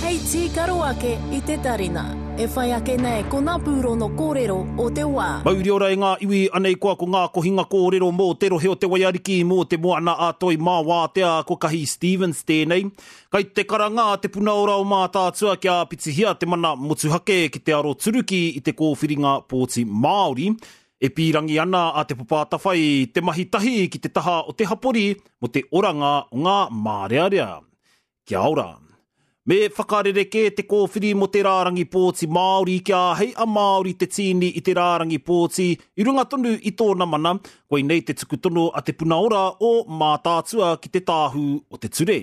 Hei tīkaro ake i te tarina. E whai ake nei ko ngā pūrono kōrero o te wā. Mauri ora e ngā iwi, anei koa ko ngā kohinga kōrero mō te rohe o Te Waiariki, mō Te Moana-a-Toi mā Wātea, ko Kahi Stevens tēnei. Kai te karanga a Te Puna Ora o Mātaatua kia āpitihia te mana motuhake ki te aroturuki i te kōwhiringa pōti Māori. E pīrangi ana a Te Papa Atawhai te mahi tahi ki te taha o te hapori mō te oranga o ngā mārearea. Kia ora. Me whakarerekē te kōwhiri mō te rārangi pōti Māori kia āhei a Māori te tīni i te rārangi pōti i runga tonu i tōna mana, koinei te tuku tono a Te Puna Ora o Mātaatua ki te Tāhū o te Ture.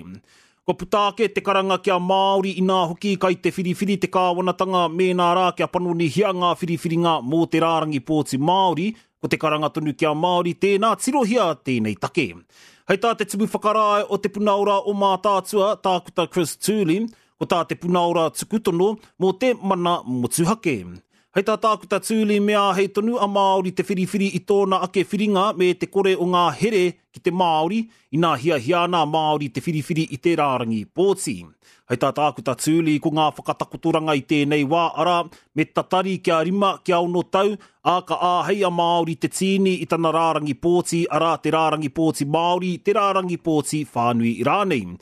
Kua puta ake te karanga ki a Māori inā hoki kai te whiriwhiri te kāwanatanga mēnā rā kia panonihia ngā whiriwhiringa mō te rārangi pōti Māori, Ko te karanga tonu ki a Māori, tēnā tirohia tēnei take. Hei tā te Tumu Whakarae o Te Puna Ora o Mātaatua, Tākuta Chris Tooley, ko tā Te Puna Ora tuku tono mō te mana motuhake. Hei tā Tākuta Tooley me āhei tonu a Māori te whiriwhiri i tōna ake whiringa me te kore o ngā here ki te Māori, inā hiahia ana a Māori te whiriwhiri i te rārangi pōti. Hei tā Tākuta Tooley, ko ngā whakatakotoranga i tēnei wā, arā, me tatari kia rima, kia ono tau, ā, ka āhei a Māori te tīni i tana rārangi pōti, arā, te rārangi pōti Māori, te rārangi pōti whānui rānei.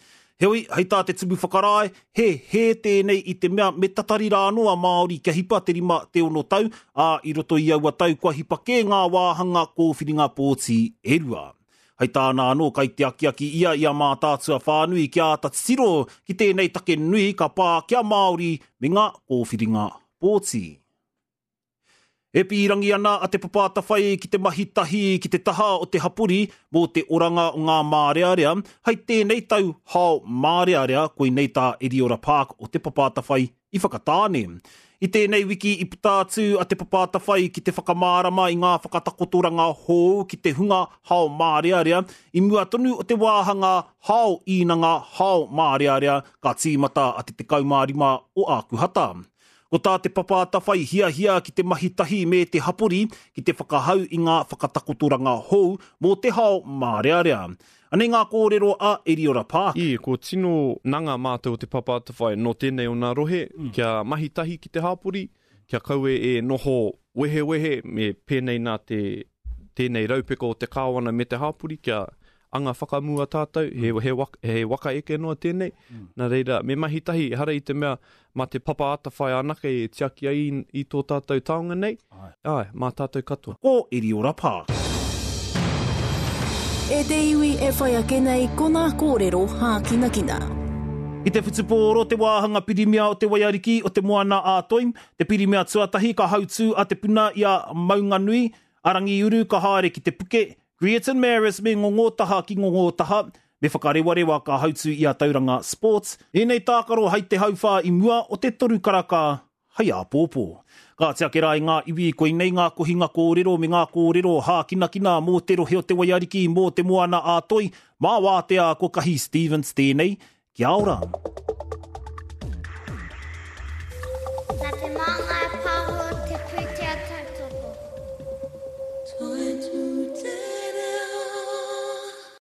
Heoi, hei tā te Tumu Whakarae, he hē tēnei i te mea me tatari rā anō a Māori kia hipa te rima, te ono tau, ā, i roto i aua tau kua hipa kē ngā wāhanga kōwhiringa pōti e rua. Hei tāna anō, kai te akiaki ia i a Mātaatua whānui kia āta titiro ki tēnei take nui ka pā ki a Māori me ngā kōwhiringa pōti. E pīrangi ana a Te Papa Atawhai ki te mahi tahi ki te taha o te hapori mō te oranga o ngā mārearea hei tēnei tau hao mārearea, koinei tā Eriora Park o Te Papa Atawhai i Whakatāne. I tēnei wiki i puta atu a Te Papa Atawhai ki te whakamārama i ngā whakatakotoranga hou ki te hunga hao mārearea i mua tonu o te wāhanga hao īnanga hao mārearea ka tīmata a te 15 o Ākuhata. Ko tā Te Papa Atawhai hiahia ki te mahi tahi me te hapori ki te whakahau i ngā whakatakotoranga hou mō te hao mārearea. Anei ngā kōrero a Eriora Park. Ī, ko tino nanga mātou o Te Papa Atawhai nō tēnei o nā rohe kia mahi tahi ki te hāpori, kia kaua e noho wehewehe me pēnei nā te tēnei raupeka o te kāwana me te hāpori kia anga whakamua tātou, he, he, waka, he waka eke noa tēnei. Nā reira, me mahi tahi, ehara i te mea mā te papa atawhai anake e tiaki ai i, i tō tātou taonga nei. Āe, mā tātou katoa. Ko Eriora Park. E te iwi e whai ake nei ko ngā kōrero hākinakina. I te whutupōro te wāhanga pirimia o Te Waiariki o Te Moana-a-Toi, te pirimia tuatahi ka hautū a Te Puna i a Maunganui, a Rangiuru ka haere ki Te Puke, Greerton Marist me Ngongotaha ki Ngongotaha, me Whakarewarewa ka hautū i a Tauranga Sports. Ēnei tākaro hai te hauwhā i mua o te toru karaka hai āpōpō. Kāti ake rā i ngā iwi, koinei ngā kohinga kōrero me ngā kōrero hākinakina mō te rohe o Te Waiariki, mō Te Moana-a-Toi, mā Wātea ko Kahi Stevens tēnei, Kia ora! Nā te māngai.